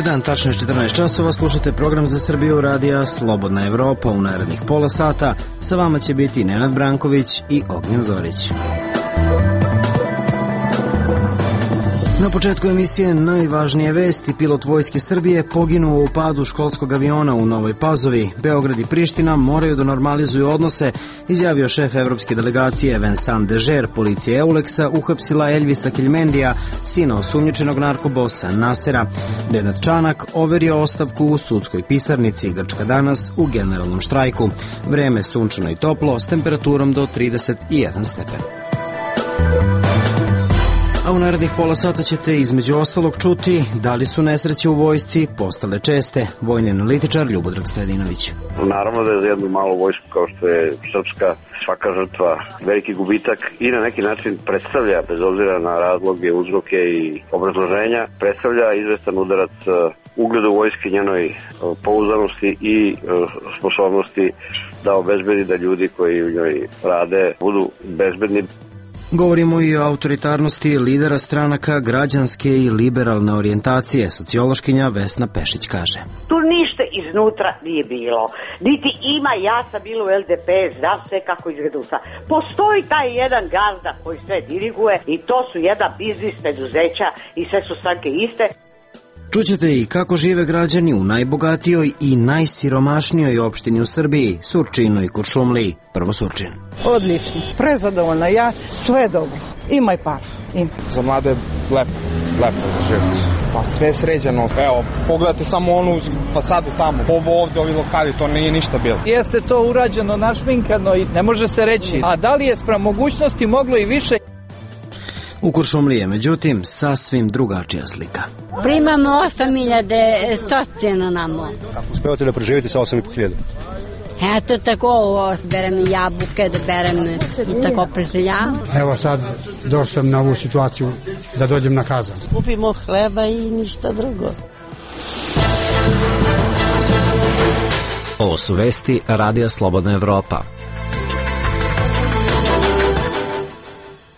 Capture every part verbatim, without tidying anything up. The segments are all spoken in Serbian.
Dobar dan, tačno je četrnaest časova, slušate program za Srbiju radija Slobodna Evropa. U narednih pola sata sa vama će biti Nenad Branković i Ognjen Zorić. Na početku emisije najvažnije vesti. Pilot Vojske Srbije poginuo u padu školskog aviona u Novoj Pazovi. Beograd i Priština moraju da normalizuju odnose, izjavio šef evropske delegacije Vincent Dežer. Policija Euleksa uhapsila Elvisa Keljmendija, sina osumnjičenog narkobosa Nasera. Nenad Čanak overio ostavku u sudskoj pisarnici. Grčka danas u generalnom štrajku. Vreme sunčano i toplo s temperaturom do trideset jedan stepen. A u narednih pola sata ćete između ostalog čuti da li su nesreće u vojsci postale česte. Vojni analitičar Ljubodrag Stojadinović. Naravno da je za jednu malu vojsku kao što je srpska svaka žrtva veliki gubitak i na neki način predstavlja, bez obzira na razloge, uzroke i obrazloženja, predstavlja izvestan udarac ugledu vojske, njenoj pouzdanosti i sposobnosti da obezbedi da ljudi koji u njoj rade budu bezbedni. Govorimo i o autoritarnosti lidera stranaka građanske i liberalne orijentacije. Sociološkinja Vesna Pešić kaže: Tu ništa iznutra nije bilo. Niti ima, ja sam bila u L D P, znam sve kako izgleda. Postoji taj jedan gazda koji sve diriguje i to su jedna biznis preduzeća i sve su stranke iste. Čućete i kako žive građani u najbogatijoj i najsiromašnijoj opštini u Srbiji, Surčinu i Kuršumliji. Prvo Surčin. Odlično, prezadovoljna ja, sve dobro. Ima i para, ima. Za mlade lepo, lepo za živjeti. Pa sve sređeno. Evo, pogledajte samo onu fasadu tamo. Ovo ovde, ovi lokali, to nije ništa bilo. Jeste to urađeno, našminkano i ne može se reći. A da li je sprem mogućnosti moglo i više? U Kuršumliji je, međutim, sasvim drugačija slika. Primamo osam hiljada socijalno namo. Kako uspevate da preživite sa osam i po hiljada? Eto tako, berem jabuke, da berem i tako preživljam. Evo sad došao sam na ovu situaciju da dođem na kazan. Kupimo hleba i ništa drugo. Ovo su vesti Radija Slobodna Evropa.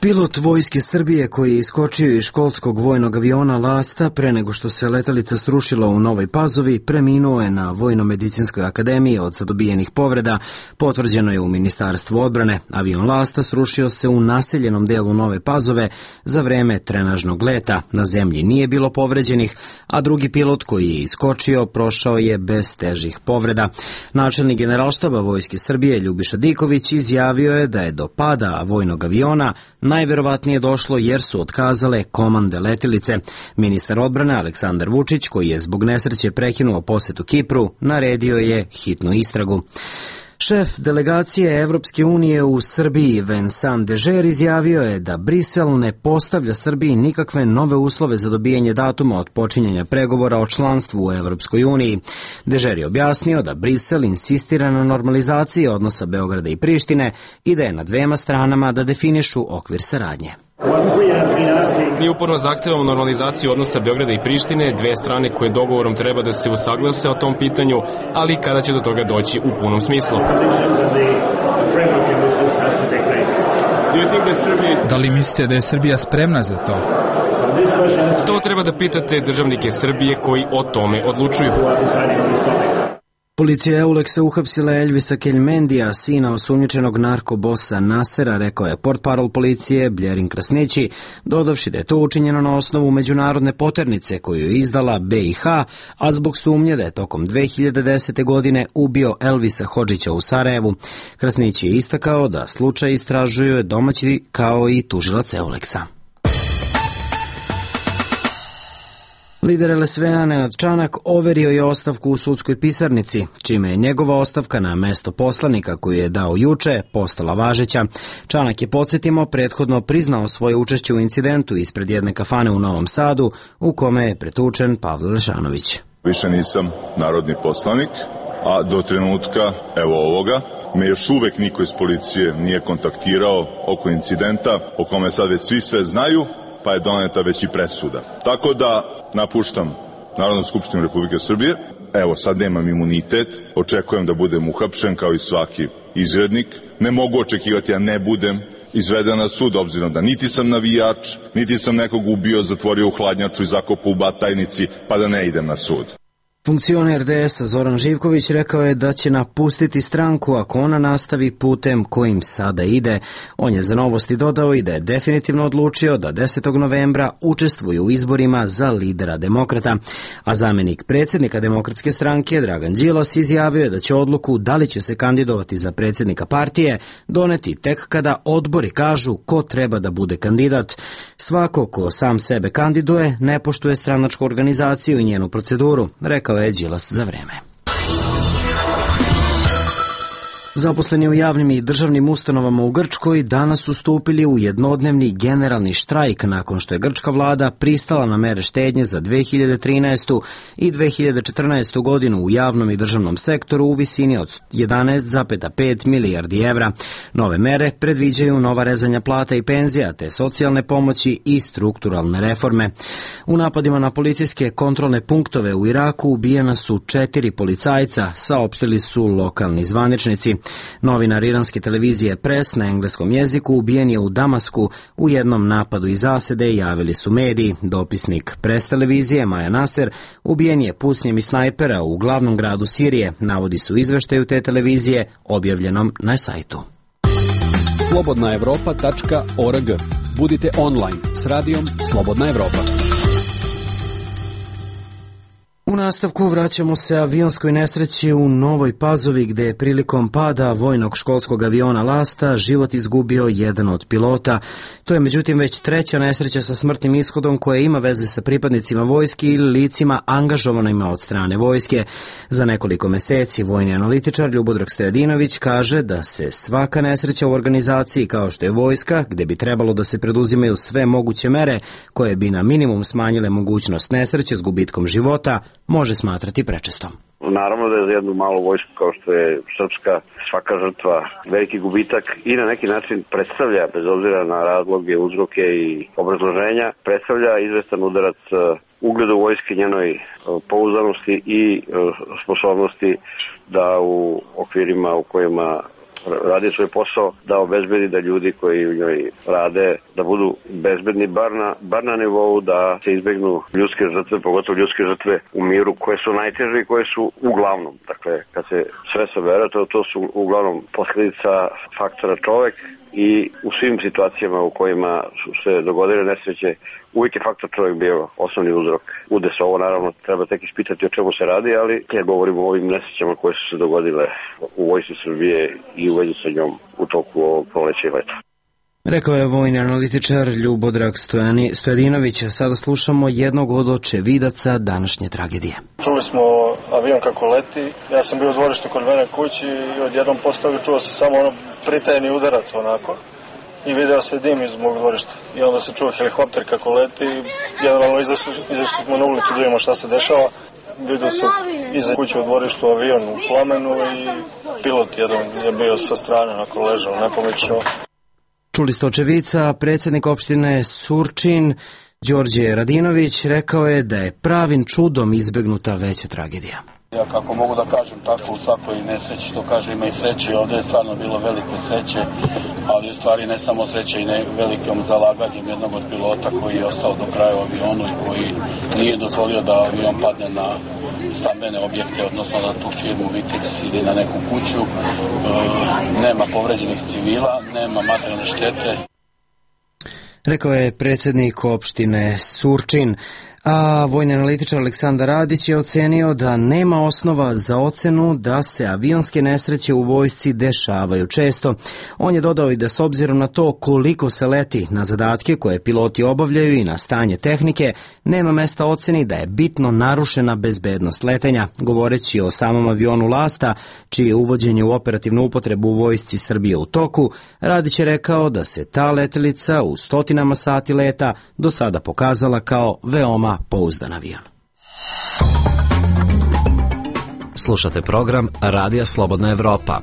Pilot Vojske Srbije koji je iskočio iz školskog vojnog aviona Lasta pre nego što se letelica srušila u Novoj Pazovi preminuo je na Vojno-medicinskoj akademiji od sadobijenih povreda, potvrđeno je u Ministarstvu odbrane. Avion Lasta srušio se u naseljenom delu Nove Pazove za vreme trenažnog leta. Na zemlji nije bilo povređenih, a drugi pilot koji je iskočio prošao je bez težih povreda. Načelnik Generalštaba Vojske Srbije Ljubiša Diković izjavio je da je do pada vojnog aviona najverovatnije došlo jer su otkazale komande letilice. Ministar odbrane Aleksandar Vučić, koji je zbog nesreće prekinuo posetu Kipru, naredio je hitnu istragu. Šef delegacije Evropske unije u Srbiji Vincent Dežer izjavio je da Brisel ne postavlja Srbiji nikakve nove uslove za dobijanje datuma od počinjanja pregovora o članstvu u Evropskoj uniji. Dežer je objasnio da Brisel insistira na normalizaciji odnosa Beograda i Prištine i da je na dvema stranama da definišu okvir saradnje. Mi uporno zahtevamo normalizaciju odnosa Beograda i Prištine, dve strane koje dogovorom treba da se usaglase o tom pitanju, ali kada će do toga doći u punom smislu. Da li mislite da je Srbija spremna za to? To treba da pitate državnike Srbije koji o tome odlučuju. Policija Euleksa uhapsila Elvisa Keljmendija, sina osumnjičenog narkobosa Nasera, rekao je portparol policije Bljerin Krasnići, dodavši da je to učinjeno na osnovu međunarodne poternice koju je izdala B i H, a zbog sumnje da je tokom dve hiljade desete. godine ubio Elvisa Hodžića u Sarajevu. Krasnići je istakao da slučaj istražuju domaći kao i tužilac Euleksa. Lider L S V-a Nenad Čanak overio je ostavku u sudskoj pisarnici, čime je njegova ostavka na mesto poslanika koju je dao juče postala važeća. Čanak je, podsjetimo, prethodno priznao svoje učešće u incidentu ispred jedne kafane u Novom Sadu u kome je pretučen Pavle Lešanović. Više nisam narodni poslanik, a do trenutka, evo ovoga, me još uvek niko iz policije nije kontaktirao oko incidenta o kome sad već svi sve znaju, pa je doneta već i presuda. Tako da napuštam Narodnu skupštinu Republike Srbije. Evo, sad nemam imunitet, očekujem da budem uhapšen kao i svaki izgrednik. Ne mogu očekivati, ja ne budem, izveden na sud, obzirom da niti sam navijač, niti sam nekog ubio, zatvorio u hladnjaču i zakopao u Batajnici, pa da ne idem na sud. Funkcioner D S-a Zoran Živković rekao je da će napustiti stranku ako ona nastavi putem kojim sada ide. On je za Novosti dodao i da je definitivno odlučio da desetog novembra učestvuje u izborima za lidera demokrata. A zamenik predsjednika Demokratske stranke Dragan Đilas izjavio je da će odluku da li će se kandidovati za predsjednika partije doneti tek kada odbori kažu ko treba da bude kandidat. Svako ko sam sebe kandiduje ne poštuje stranačku organizaciju i njenu proceduru, rekao je Đilas za Vreme. Zaposleni u javnim i državnim ustanovama u Grčkoj danas su stupili u jednodnevni generalni štrajk nakon što je grčka vlada pristala na mere štednje za dve hiljade trinaestu. i dve hiljade četrnaestu. godinu u javnom i državnom sektoru u visini od jedanaest zarez pet milijardi evra. Nove mere predviđaju nova rezanja plata i penzija, te socijalne pomoći i strukturalne reforme. U napadima na policijske kontrolne punktove u Iraku ubijena su četiri policajca, saopštili su lokalni zvaničnici. Novinar iranske televizije Press na engleskom jeziku ubijen je u Damasku u jednom napadu iz zasede, javili su mediji. Dopisnik Press televizije Maja Naser ubijen je pucnjem iz snajpera u glavnom gradu Sirije, navodi su izveštaju te televizije objavljenom na sajtu. slobodna evropa tačka org. Budite online s radijom Slobodna Evropa. U nastavku vraćamo se avionskoj nesreći u Novoj Pazovi, gde je prilikom pada vojnog školskog aviona Lasta život izgubio jedan od pilota. To je međutim već treća nesreća sa smrtnim ishodom koja ima veze sa pripadnicima vojske ili licima angažovanima od strane vojske. Za nekoliko meseci vojni analitičar Ljubodrag Stojadinović kaže da se svaka nesreća u organizaciji kao što je vojska, gde bi trebalo da se preduzimaju sve moguće mere koje bi na minimum smanjile mogućnost nesreće s gubitkom života, može smatrati prečestom. Naravno da je za jednu malu vojsku kao što je srpska svaka žrtva veliki gubitak i na neki način predstavlja, bez obzira na razloge, uzroke i obrazloženja, predstavlja izvestan udarac ugledu vojske, njenoj pouzdanosti i sposobnosti da u okvirima u kojima radi svoj posao, da obezbedi da ljudi koji u njoj rade da budu bezbedni bar na, bar na nivou da se izbegnu ljudske žrtve, pogotovo ljudske žrtve u miru koje su najteže i koje su uglavnom, dakle kad se sve sabere, to, to su uglavnom posljedica faktora čovek i u svim situacijama u kojima su se dogodile nesreće uvijek je faktor čovjek bio osnovni uzrok. Udes ovo naravno treba tek ispitati o čemu se radi, ali ja govorim o ovim nesrećama koje su se dogodile u vojsci Srbije i u vezi sa njom u toku ovog proleća i leta. Rekao je vojni analitičar Ljubodrag Stojadinović. Sada slušamo jednog od očevidaca današnje tragedije. Čuli smo avion kako leti, ja sam bio u dvorištu kod mene kući i odjednom postavio čuo se samo ono pritajeni udarac onako i video se dim iz mog dvorišta i onda se čuo helikopter kako leti i generalno izašli, izašli smo na ulicu da vidimo šta se dešava. Vidio sam iza kuće u dvorištu avion u plamenu i pilot jedan je bio sa strane onako ležao nepomično. Čuli ste očevica, predsjednik opštine Surčin, Đorđe Radinović, rekao je da je pravim čudom izbegnuta veća tragedija. Ja kako mogu da kažem tako u svakoj nesreći, što kaže ima i sreće, ovdje je stvarno bilo velike sreće, ali u stvari ne samo sreće i ne velikom zalaganjem jednog od pilota koji je ostao do kraja u avionu i koji nije dozvolio da avion padne na stambene objekte, odnosno na tu firmu Vitex ili na neku kuću. E, nema povređenih civila, nema materijalne štete. Rekao je predsjednik opštine Surčin. A vojni analitičar Aleksandar Radić je ocenio da nema osnova za ocenu da se avionske nesreće u vojsci dešavaju često. On je dodao i da s obzirom na to koliko se leti na zadatke koje piloti obavljaju i na stanje tehnike, nema mesta oceni da je bitno narušena bezbednost letenja. Govoreći o samom avionu Lasta, čije je uvođenje u operativnu upotrebu u vojsci Srbije u toku, Radić je rekao da se ta letelica u stotinama sati leta do sada pokazala kao veoma pouzdan avion. Slušate program Radija Slobodna Evropa.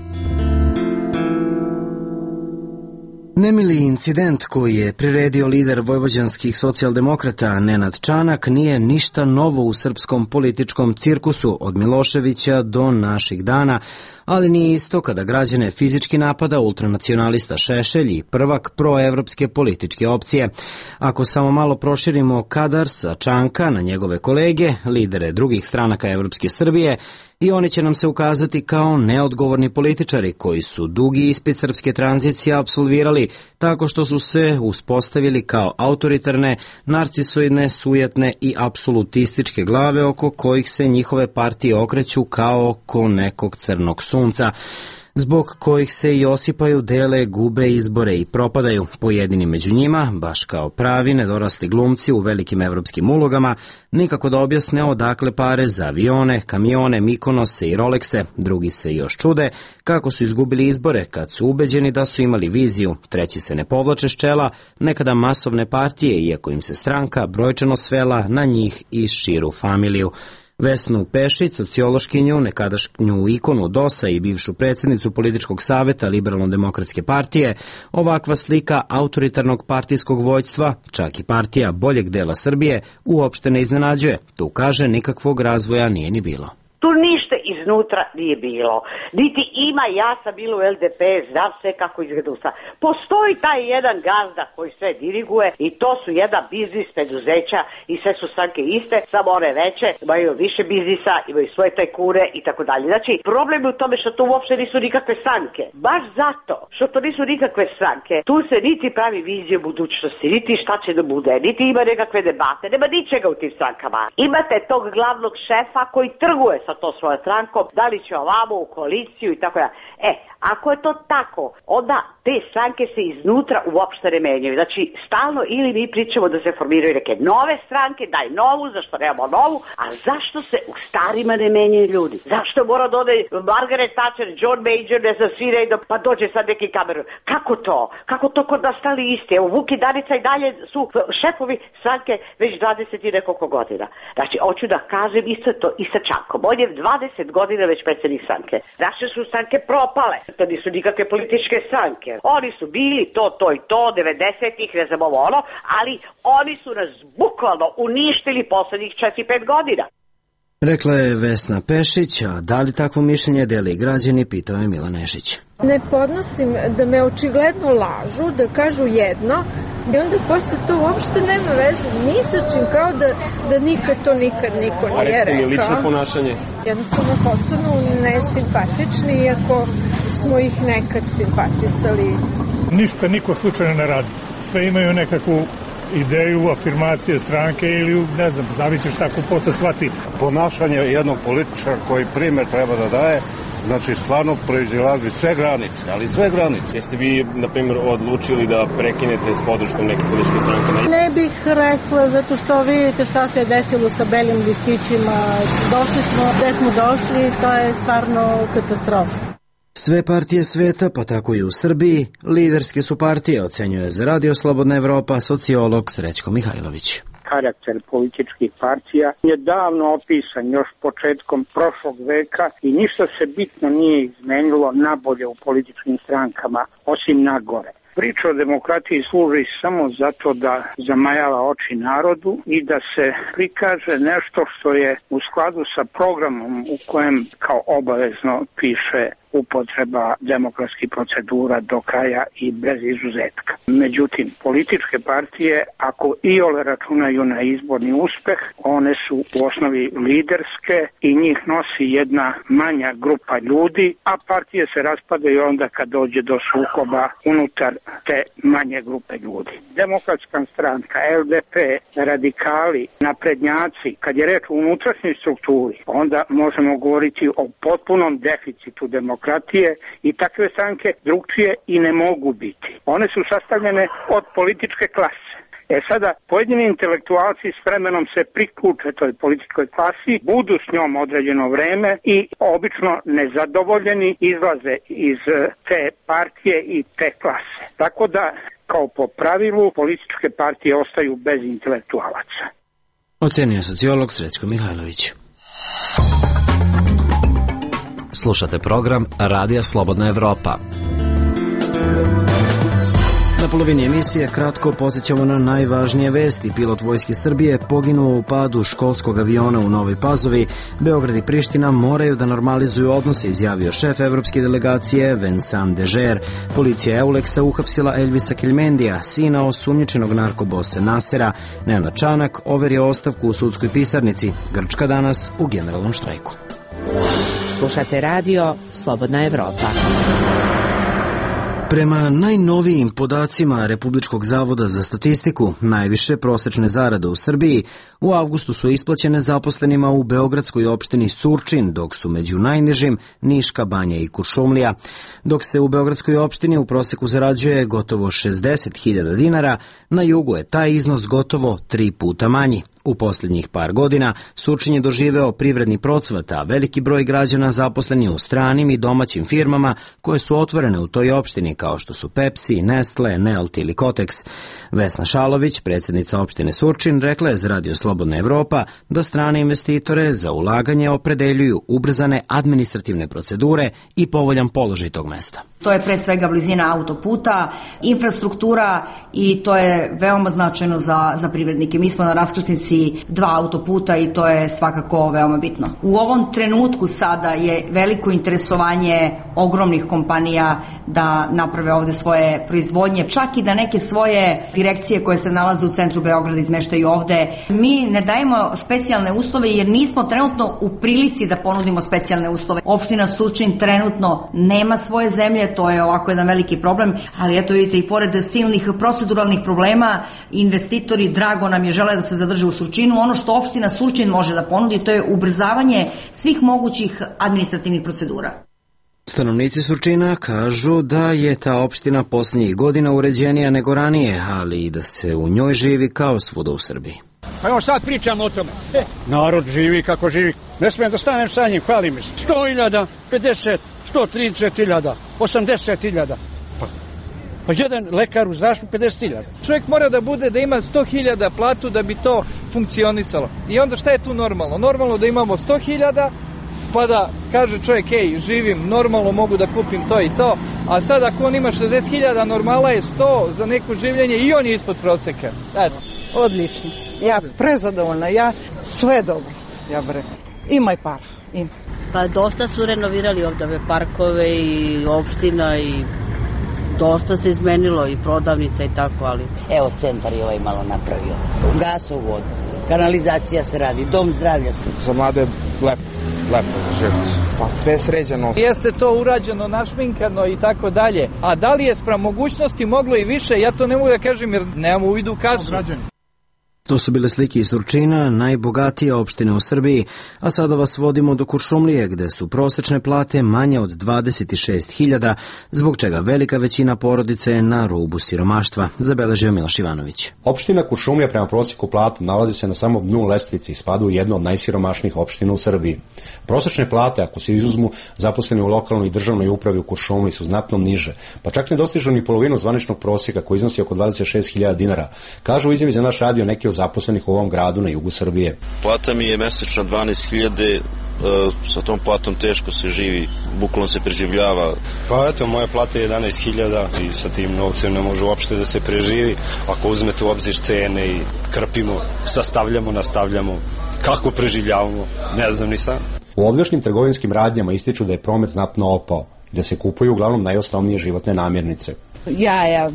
Nemili incident koji je priredio lider vojvođanskih socijaldemokrata Nenad Čanak nije ništa novo u srpskom političkom cirkusu od Miloševića do naših dana, ali nije isto kada građane fizički napada ultranacionalista Šešelj i prvak proevropske političke opcije. Ako samo malo proširimo kadar sa Čanka na njegove kolege, lidere drugih stranaka Evropske Srbije, i oni će nam se ukazati kao neodgovorni političari koji su dugi ispit srpske tranzicije apsolvirali tako što su se uspostavili kao autoritarne, narcisoidne, sujetne i apsolutističke glave oko kojih se njihove partije okreću kao oko nekog crnog sunca, zbog kojih se i osipaju, dele, gube izbore i propadaju. Pojedini među njima, baš kao pravi nedorasli glumci u velikim evropskim ulogama, nikako da objasne odakle pare za avione, kamione, Mikonose i Rolexe. Drugi se još čude kako su izgubili izbore kad su ubeđeni da su imali viziju. Treći se ne povlače s čela nekada masovne partije, iako im se stranka brojčano svela na njih i širu familiju. Vesnu Pešić, sociološkinju, nekadašnju ikonu DOS-a i bivšu predsjednicu političkog saveta Liberalno-demokratske partije, ovakva slika autoritarnog partijskog vođstva, čak i partija boljeg dela Srbije, uopšte ne iznenađuje. Tu kaže nikakvog razvoja nije ni bilo. Tu ništa iznutra nije bilo. Niti ima, ja sam bila u el de pe, znam sve kako izgleda. Postoji taj jedan gazda koji sve diriguje i to su jedan biznis preduzeća i sve su stranke iste, samo one veće, imaju više biznisa, imaju svoje tajkure i tako dalje. Znači, problem je u tome što to uopšte nisu nikakve stranke. Baš zato što to nisu nikakve stranke, tu se niti pravi vizija budućnosti, niti šta će da bude, niti ima nekakve debate, nema ničega u tim strankama. Imate tog glavnog šefa koji trguje sa to svoje strankom, da li će ovamo u koaliciju i tako da. E, ako je to tako, onda te stranke se iznutra uopšte ne menjaju. Znači, stalno ili mi pričamo da se formiraju neke nove stranke, daj novu, zašto nemamo novu, a zašto se u starima ne menjaju ljudi? Zašto mora da ode Margaret Thatcher, John Major, ne znam, svi redom, pa dođe sad neki Cameron? Kako to? Kako to kod nas stali isti? Evo, Vuk i Danica i dalje su šefovi stranke već dvadeset i nekoliko godina. Znači, hoću da kažem isto to i sa Čankom. On je dvadeset godina već predsjednik stranke. Naše su stranke propale. To nisu nikakve političke stranke. Oni su bili to, to i to, devedesetih, ne znam ovo ono, ali oni su nas bukvalno uništili poslednjih četiri pet godina. Rekla je Vesna Pešić, a da li takvo mišljenje deli građani, pitao je Milan Nešić. Ne podnosim da me očigledno lažu, da kažu jedno i onda posle to uopšte nema veze ni sa čim, kao da, da nikad to nikad niko nije rekao. A recite mi lično ponašanje? Jednostavno postanu nesimpatični, iako smo ih nekad simpatisali. Ništa niko slučajno ne radi. Sve imaju nekakvu ideju, afirmacije stranke ili, ne znam, zavisi šta ko posle shvati. Ponašanje jednog političara koji primer treba da daje, znači stvarno proizilazi sve granice, ali sve granice. Jeste vi, na primjer, odlučili da prekinete s podrškom neke političke stranke? Ne bih rekla, zato što vidite šta se je desilo sa belim listićima. Došli smo, gde smo došli, to je stvarno katastrofa. Sve partije sveta, pa tako i u Srbiji, liderske su partije, ocenjuje za Radio Slobodna Evropa sociolog Srećko Mihajlović. Karakter političkih partija je davno opisan još početkom prošlog veka i ništa se bitno nije izmenilo nabolje u političkim strankama, osim nagore. Priča o demokratiji služi samo zato da zamajava oči narodu i da se prikaže nešto što je u skladu sa programom u kojem kao obavezno piše upotreba demokratskih procedura do kraja i bez izuzetka. Međutim, političke partije, ako iole računaju na izborni uspeh, one su u osnovi liderske i njih nosi jedna manja grupa ljudi, a partije se raspadaju onda kad dođe do sukoba unutar te manje grupe ljudi. Demokratska stranka, el de pe, radikali, naprednjaci, kad je reč o unutrašnjoj strukturi, onda možemo govoriti o potpunom deficitu demokratije demokratije i takve stranke drugčije i ne mogu biti. One su sastavljene od političke klase. E sada, pojedini intelektualci s vremenom se priključe toj političkoj klasi, budu s njom određeno vreme i obično nezadovoljeni izlaze iz te partije i te klase. Tako da, kao po pravilu, političke partije ostaju bez intelektualaca. Ocenio sociolog Srećko Mihajlović. Slušate program Radija Slobodna Evropa. polovini emisije kratko podsjećamo na najvažnije vesti. Pilot Vojske Srbije poginuo u padu školskog aviona u Novoj Pazovi. Beograd i Priština moraju da normalizuju odnose, izjavio šef evropske delegacije Vincent Dežer. Policija Euleksa uhapsila Elvisa Kelmendija, sina osumnjičenog narkobose Nasera. Nenad Čanak overio ostavku u sudskoj pisarnici. Grčka danas u generalnom štrajku. Slušate radio Slobodna Evropa. Prema najnovijim podacima Republičkog zavoda za statistiku, najviše prosečne zarade u Srbiji u avgustu su isplaćene zaposlenima u beogradskoj opštini Surčin, dok su među najnižim Niška Banja i Kuršumlija. Dok se u beogradskoj opštini u proseku zarađuje gotovo šezdeset hiljada dinara, na jugu je taj iznos gotovo tri puta manji. U posljednjih par godina Surčin je doživeo privredni procvat, a veliki broj građana zaposleni u stranim i domaćim firmama koje su otvorene u toj opštini, kao što su Pepsi, Nestle, Nelt ili Kotex. Vesna Šalović, predsjednica opštine Surčin, rekla je za Radio Slobodna Evropa da strane investitore za ulaganje opredeljuju ubrzane administrativne procedure i povoljan položaj tog mesta. To je pre svega blizina autoputa, infrastruktura i to je veoma značajno za, za privrednike. Mi smo na raskrsnici dva autoputa i to je svakako veoma bitno. U ovom trenutku sada je veliko interesovanje ogromnih kompanija da naprave ovde svoje proizvodnje, čak i da neke svoje direkcije koje se nalaze u centru Beograda izmeštaju ovde. Mi ne dajemo specijalne uslove jer nismo trenutno u prilici da ponudimo specijalne uslove. Opština Surčin trenutno nema svoje zemlje, to je ovako jedan veliki problem, ali eto vidite i pored silnih proceduralnih problema, investitori, drago nam je, žele da se zadrže u Surčinu. Ono što opština Surčin može da ponudi, to je ubrzavanje svih mogućih administrativnih procedura. Stanovnici Surčina kažu da je ta opština posljednjih godina uređenija nego ranije, ali i da se u njoj živi kao svuda u Srbiji. Pa evo sad pričamo o tome. E, narod živi kako živi. Ne smijem da stanem sa njim, hvali mi se. sto hiljada, pedeset, sto trideset hiljada, osamdeset hiljada. Pa, pa jedan lekar u zaštu pedeset hiljada. Čovjek mora da bude da ima sto hiljada platu da bi to funkcionisalo. I onda šta je tu normalno? Normalno da imamo sto hiljada, pa da kaže čovjek, ej, živim, normalno mogu da kupim to i to, a sad ako on ima šezdeset hiljada, normala je sto za neko življenje i on je ispod proseka. Eto. Odlično. Ja prezadovoljna, ja sve dobro, ja bih rekla. Ima i para, ima. Pa dosta su renovirali ovdje ove parkove i opština i dosta se izmenilo i prodavnica i tako, ali... Evo, centar je ovaj malo napravio. Gasovod, kanalizacija se radi, dom zdravlja. Za mlade lepo, lepo za živjeti. Pa sve sređeno. Jeste to urađeno, našminkano i tako dalje. A da li je spram mogućnosti moglo i više, ja to ne mogu da kažem jer nemam u vidu kasu. To su bile slike iz Surčina, najbogatije opštine u Srbiji, a sada vas vodimo do Kuršumlije, gde su prosečne plate manje od dvadeset šest hiljada, zbog čega velika većina porodice je na rubu siromaštva, zabeležio Miloš Ivanović. Opština Kuršumlija prema prosjeku plata nalazi se na samom dnu lestvice i spada u jednu od najsiromašnijih opština u Srbiji. Prosečne plate, ako se izuzmu zaposleni u lokalnoj i državnoj upravi u Kuršumliji, su znatno niže, pa čak ne dostižu ni polovinu zvaničnog prosjeka koji iznosi oko dvadeset šest hiljada dinara, kažu u izjavi za naš radio neki od zaposlenih u ovom gradu na jugu Srbije. Plata mi je mesečno dvanaest hiljada, e, sa tom platom teško se živi, bukvalno se preživljava. Pa eto, moja plata je jedanaest hiljada i sa tim novcem ne može uopšte da se preživi. Ako uzmete u obzir cene i krpimo, sastavljamo, nastavljamo, kako preživljavamo, ne znam ni sam. U ovdašnjim trgovinskim radnjama ističu da je promet znatno opao, da se kupuju uglavnom najosnovnije životne namirnice. Jaja,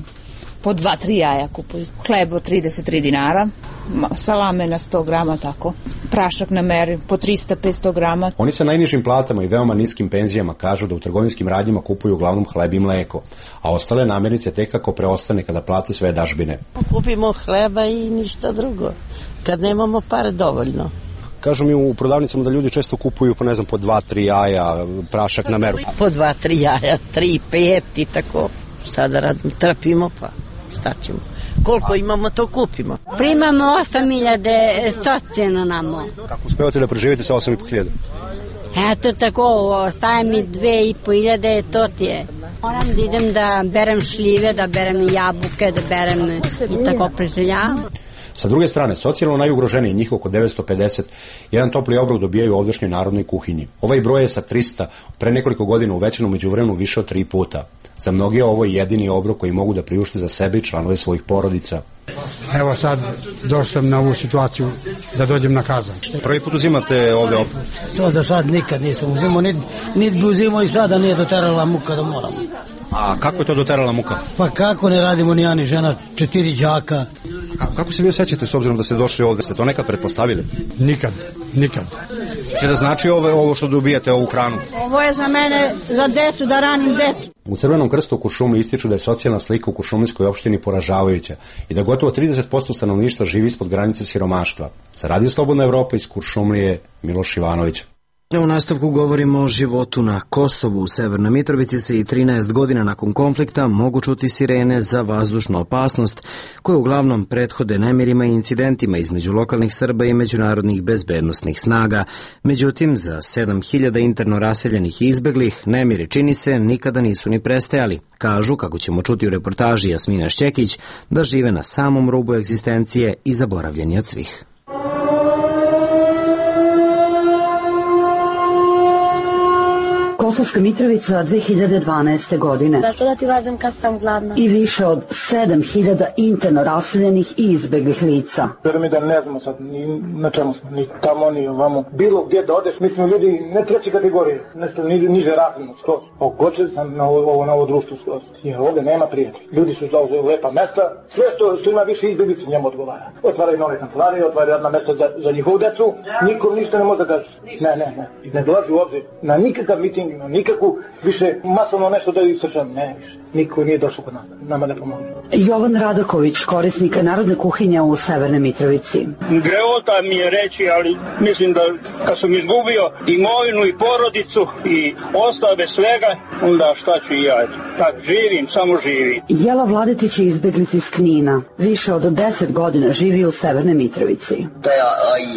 po dva, tri jaja kupuju. Hlebo trideset tri dinara, salame na sto grama, tako. Prašak na meri po trista do petsto grama. Oni sa najnižim platama i veoma niskim penzijama kažu da u trgovinskim radnjama kupuju uglavnom hleb i mleko, a ostale namirnice tek kako preostane kada plate sve dažbine. Kupimo hleba i ništa drugo, kad nemamo pare dovoljno. Kažu mi u prodavnicama da ljudi često kupuju po, ne znam, po dva, tri jaja, prašak na meru. Po dva, tri jaja, tri, pet i tako. Sada radim, trpimo pa šta ćemo. Koliko imamo, to kupimo. Primamo osam hiljada socijalno namo. Kako uspevate da preživite sa osam i po hiljada? Eto tako, ostaje mi dve i po hiljade, to ti je. Moram da idem da berem šljive, da berem jabuke, da berem i tako preživljavam. Sa druge strane, socijalno najugroženiji, njih oko devetsto pedeset, jedan topli obrok dobijaju u ovdašnjoj narodnoj kuhinji. Ovaj broj je sa trista pre nekoliko godina uvećan u međuvremenu više od tri puta. Za mnoge ovo je jedini obrok koji mogu da priušte za sebe i članove svojih porodica. Evo sad došao sam na ovu situaciju da dođem na Kazan. Prvi put uzimate ovde opet? To do sad nikad nisam uzimao, niti nit bi uzimao i sada nije doterala muka da moram. A kako je to doterala muka? Pa kako ne radimo ni ja ni žena, četiri đaka. A kako se vi osjećate s obzirom da ste došli ovde? Ste to nekad pretpostavili? Nikad, nikad. Če da znači ovo, ovo što dobijate, ovu hranu? Ovo je za mene, za decu, da ranim decu. U Crvenom krstu u Kuršumliji ističu da je socijalna slika u Kuršumlijskoj opštini poražavajuća i da gotovo trideset posto stanovništva živi ispod granice siromaštva. Za Radio Slobodna Evropa iz Kuršumlije, Miloš Ivanović. U nastavku govorimo o životu na Kosovu. U Severnoj Mitrovici se i trinaest godina nakon konflikta mogu čuti sirene za vazdušnu opasnost, koje uglavnom prethode nemirima i incidentima između lokalnih Srba i međunarodnih bezbednosnih snaga. Međutim, za sedam hiljada interno raseljenih i izbeglih, nemiri, čini se, nikada nisu ni prestajali. Kažu, kako ćemo čuti u reportaži Jasmina Šćekić, da žive na samom rubu egzistencije i zaboravljeni od svih. Kosovska Mitrovica dve hiljade dvanaeste. godine. Zašto da ti važem kad sam gladna? I više od sedam hiljada interno raseljenih i izbeglih lica. Vjerujem mi da ne znamo sad ni na čemu smo, ni tamo, ni ovamo. Bilo gdje da odeš, mi smo ljudi ne treće kategorije, nešto ni, niže razredno, skroz. Ogočen sam na ovo, na ovo društvo skroz. Jer ovdje nema prijatelja. Ljudi su zauzeli lepa mesta, sve što, što ima više izbeglica njemu odgovara. Otvaraju nove kancelarije, otvaraju radna mesta za, za njihovu decu, nikom ništa ne može da kaže. Ne, ne, ne. Ne dolazi u obzir na nikakav miting, na nikakvu više masovno nešto da ju srčam, ne više. Niko nije došao kod nas, nama ne pomoći. Jovan Radaković, korisnik narodne kuhinje u Severnoj Mitrovici. Greota mi je reći, ali mislim da kad sam izgubio imovinu i porodicu i ostao bez svega, onda šta ću i ja, tak živim, samo živim. Jela Vladetić je izbeglica iz Knina. Više od deset godina živi u Severnoj Mitrovici. To je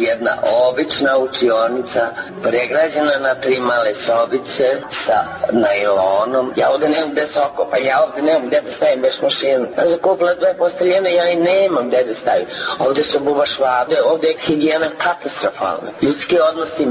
jedna obična učionica, pregrađena na tri male sobice sa najlonom. Ja ovdje nemam gde se okopam, ja ovdje nemam gde da stavim bez mašinu. Ja zakupila dve posteljene, ja i nemam gde da stavim. Ovdje su buba švabe, ovdje je higijena katastrofalna. Ljudski odnosi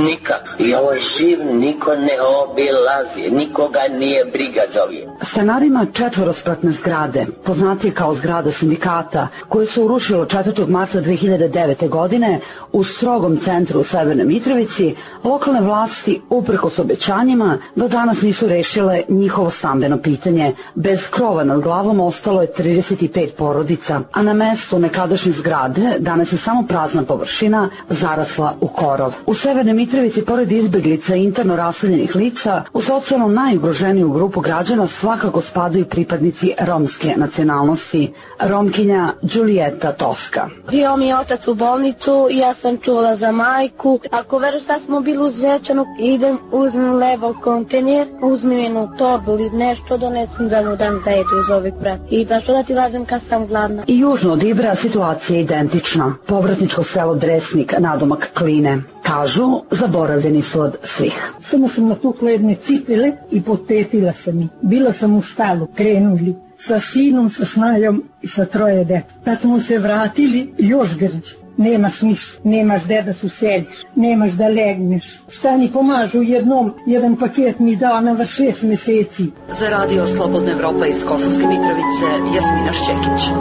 nikak. I ovo je živ, niko ne obilazi, nikoga nije briga za ovim. Stanarima četvorospratne zgrade, poznatije kao zgrada sindikata, koje su urušilo četvrtog marta dve hiljade devete. godine u strogom centru u Severnoj Mitrovici, lokalne vlasti, uprkos obećanjima, do danas nisu rešile njihovo stambeno pitanje. Bez krova nad glavom ostalo je trideset pet porodica, a na mestu nekadašnje zgrade danas je samo prazna površina zarasla u korov. U Severnoj Mitrovici, pored izbeglica i interno raseljenih lica, u socijalno najugroženiju grupu građana svakako spadaju pripadnici romske nacionalnosti. Romkinja Đulijeta Toska. Bio mi je otac u bolnicu, ja sam čula za majku. Ako veruš, sad smo bili u Zvečanu, idem, uzmem levo kontejner, uzmem jednu torbu ili nešto, donesem za nju dam da jedu iz ovih prat. I zašto da ti važem kad sam gladna? I južno od Ibra situacija je identična. Povratničko selo Dresnik, nadomak Kline. Kažu, zaboravljeni su od svih. Samo sam natukla jedne cipele i potetila sam ih. Bila sam u štalu, krenuli sa sinom, sa snajom i sa troje deta. Kad smo se vratili, još grđe. Nemaš ništa, nemaš gde da se useliš, nemaš da legneš. Šta mi pomažu jednom, jedan paket mi dao na vrš šest meseci. Za Radio Slobodna Evropa iz Kosovske Mitrovice, Jasmina Šćekić.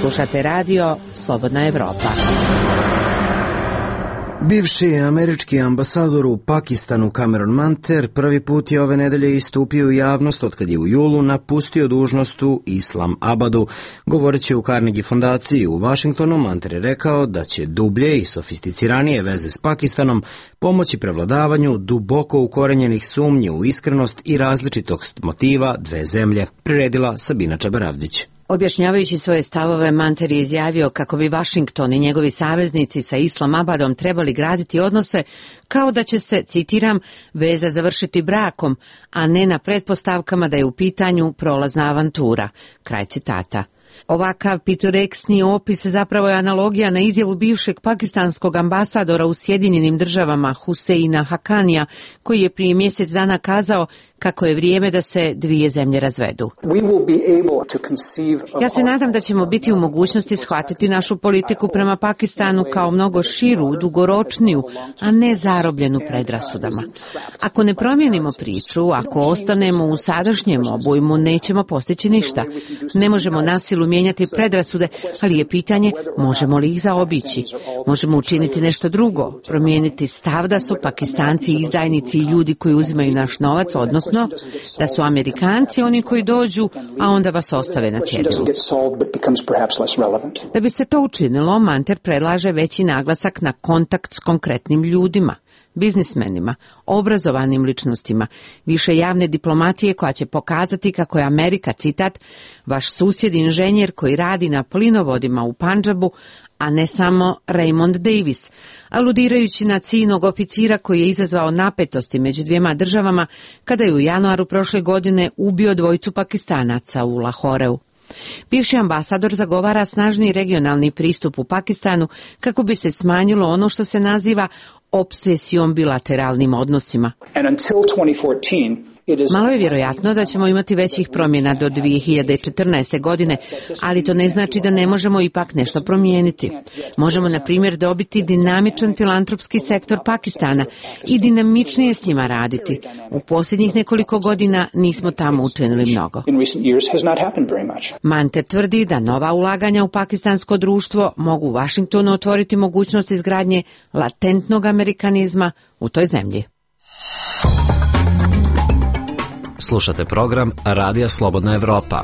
Slušate Radio Slobodna Evropa. Bivši američki ambasador u Pakistanu Cameron Manter prvi put je ove nedelje istupio u javnost otkad je u julu napustio dužnost u Islam Abadu. Govoreći u Carnegie fondaciji u Vašingtonu, Manter je rekao da će dublje i sofisticiranije veze s Pakistanom pomoći prevladavanju duboko ukorenjenih sumnji u iskrenost i različitost motiva dve zemlje, priredila Sabina Čabaravdić. Objašnjavajući svoje stavove, Manter je izjavio kako bi Vašington i njegovi saveznici sa Islamabadom trebali graditi odnose kao da će se, citiram, veza završiti brakom, a ne na pretpostavkama da je u pitanju prolazna avantura. Kraj citata. Ovakav pitoreksni opis zapravo je analogija na izjavu bivšeg pakistanskog ambasadora u Sjedinjenim državama Huseina Hakanija, koji je prije mjesec dana kazao kako je vrijeme da se dvije zemlje razvedu. Ja se nadam da ćemo biti u mogućnosti shvatiti našu politiku prema Pakistanu kao mnogo širu, dugoročniju, a ne zarobljenu predrasudama. Ako ne promijenimo priču, ako ostanemo u sadašnjem obujmu, nećemo postići ništa. Ne možemo nasilu mijenjati predrasude, ali je pitanje možemo li ih zaobići. Možemo učiniti nešto drugo, promijeniti stav da su Pakistanci izdajnici i ljudi koji uzimaju naš novac, odnosno da su Amerikanci oni koji dođu, a onda vas ostave na cjedilu. Da bi se to učinilo, Manter predlaže veći naglasak na kontakt s konkretnim ljudima, biznismenima, obrazovanim ličnostima, više javne diplomatije koja će pokazati kako je Amerika, citat, vaš susjed inženjer koji radi na plinovodima u Pandžabu, a ne samo Raymond Davis, aludirajući na ciljnog oficira koji je izazvao napetosti među dvijema državama kada je u januaru prošle godine ubio dvojicu Pakistanaca u Lahoreu. Bivši ambasador zagovara snažni regionalni pristup u Pakistanu kako bi se smanjilo ono što se naziva obsesijom bilateralnim odnosima. Malo je vjerojatno da ćemo imati većih promjena do dvije hiljade četrnaeste. godine, ali to ne znači da ne možemo ipak nešto promijeniti. Možemo, na primjer, dobiti dinamičan filantropski sektor Pakistana i dinamičnije s njima raditi. U posljednjih nekoliko godina nismo tamo učinili mnogo. Manter tvrdi da nova ulaganja u pakistansko društvo mogu Washingtonu otvoriti mogućnost izgradnje latentnog amerikanizma u toj zemlji. Slušate program Radija Slobodna Evropa.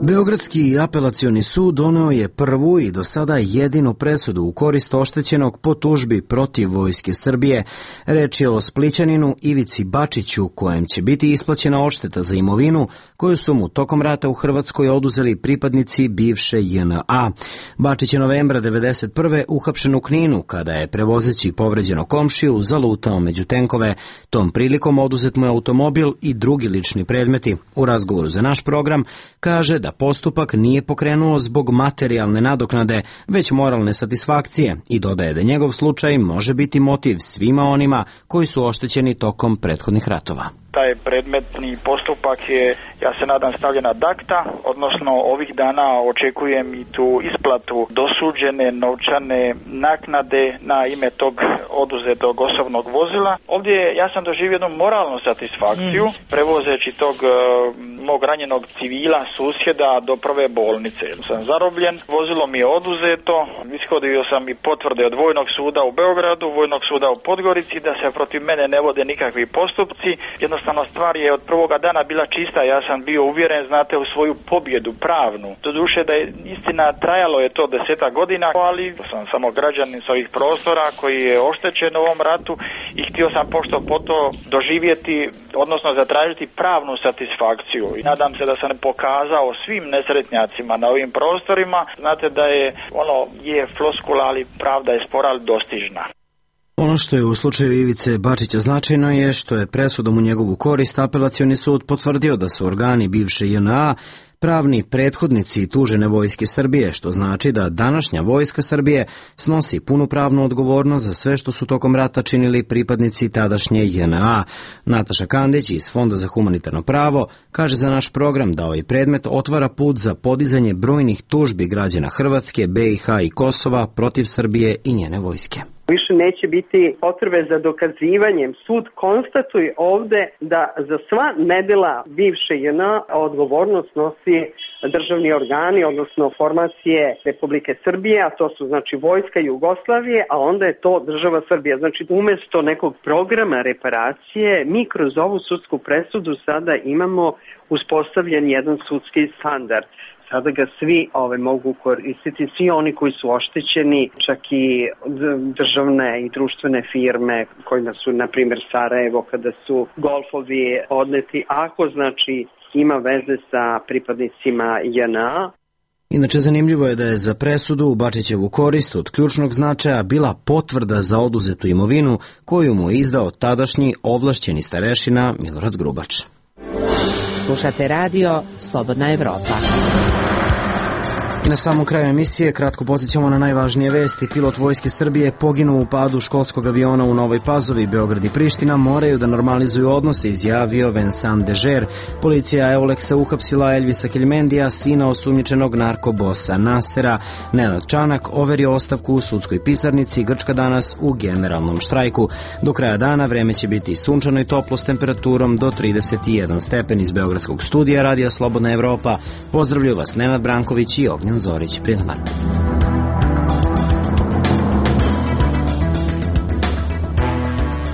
Beogradski apelacioni sud doneo je prvu i do sada jedinu presudu u korist oštećenog po tužbi protiv Vojske Srbije. Reč je o Splićaninu Ivici Bačiću, kojem će biti isplaćena odšteta za imovinu koju su mu tokom rata u Hrvatskoj oduzeli pripadnici bivše J N A. Bačić je novembra devedeset prve uhapšen u Kninu kada je, prevozeći povređenog komšiju, zalutao među tenkove. Tom prilikom oduzet mu je automobil i drugi lični predmeti. U razgovoru za naš program kaže da postupak nije pokrenuo zbog materijalne nadoknade, već moralne satisfakcije, i dodaje da njegov slučaj može biti motiv svima onima koji su oštećeni tokom prethodnih ratova. Taj predmetni postupak je, ja se nadam, stavljen ad acta, odnosno ovih dana očekujem i tu isplatu dosuđene novčane naknade na ime tog oduzetog osobnog vozila. Ovdje ja sam doživio jednu moralnu satisfakciju, mm. prevozeći tog uh, mog ranjenog civila, susjeda, do prve bolnice. Sam zarobljen, vozilo mi je oduzeto, ishodio sam i potvrde od Vojnog suda u Beogradu, Vojnog suda u Podgorici, da se protiv mene ne vode nikakvi postupci. Jednostavno stvar je od prvoga dana bila čista, ja sam bio uvjeren, znate, u svoju pobjedu pravnu. Doduše da je istina, trajalo je to desetak godina, ali sam samo građanin s ovih prostora koji je oštećen u ovom ratu i htio sam pošto po to doživjeti, odnosno zatražiti pravnu satisfakciju. I nadam se da sam pokazao svim nesretnjacima na ovim prostorima, znate da je ono je floskula, ali pravda je spora, ali dostižna. Ono što je u slučaju Ivice Bačića značajno je što je presudom u njegovu korist apelacioni sud potvrdio da su organi bivše J N A pravni prethodnici tužene Vojske Srbije, što znači da današnja Vojska Srbije snosi punu pravnu odgovornost za sve što su tokom rata činili pripadnici tadašnje J N A. Nataša Kandić iz Fonda za humanitarno pravo kaže za naš program da ovaj predmet otvara put za podizanje brojnih tužbi građana Hrvatske, B i H i Kosova protiv Srbije i njene vojske. Više neće biti potrebe za dokazivanjem. Sud konstatuje ovde da za sva nedela bivše J N A odgovornost nosi državni organi, odnosno formacije Republike Srbije, a to su znači vojska Jugoslavije, a onda je to država Srbija. Znači umjesto nekog programa reparacije, mi kroz ovu sudsku presudu sada imamo uspostavljen jedan sudski standard. Sada ga svi ove mogu koristiti, svi oni koji su oštećeni, čak i državne i društvene firme kojima su, na primjer, Sarajevo, kada su golfovi odneti, ako znači ima veze sa pripadnicima J N A. Inače, zanimljivo je da je za presudu u Bačićevu korist od ključnog značaja bila potvrda za oduzetu imovinu koju mu je izdao tadašnji ovlašćeni starešina Milorad Grubač. Slušate radio Slobodna Evropa. I na samom kraju emisije kratko podsjećamo na najvažnije vesti. Pilot Vojske Srbije poginuo u padu školskog aviona u Novoj Pazovi. Beograd i Priština moraju da normalizuju odnose, izjavio Vincent Dežer. Policija Euleksa uhapsila Elvisa Keljmendija, sina osumnjičenog narkobosa Nasera. Nenad Čanak overio ostavku u sudskoj pisarnici. Grčka danas u generalnom štrajku. Do kraja dana vreme će biti sunčano i toplo s temperaturom do trideset jedan stepen. Iz Beogradskog studija Radija Slobodna Evropa pozdravljaju vas Nenad Branković i Ognjen Zorić. Prijatno dan.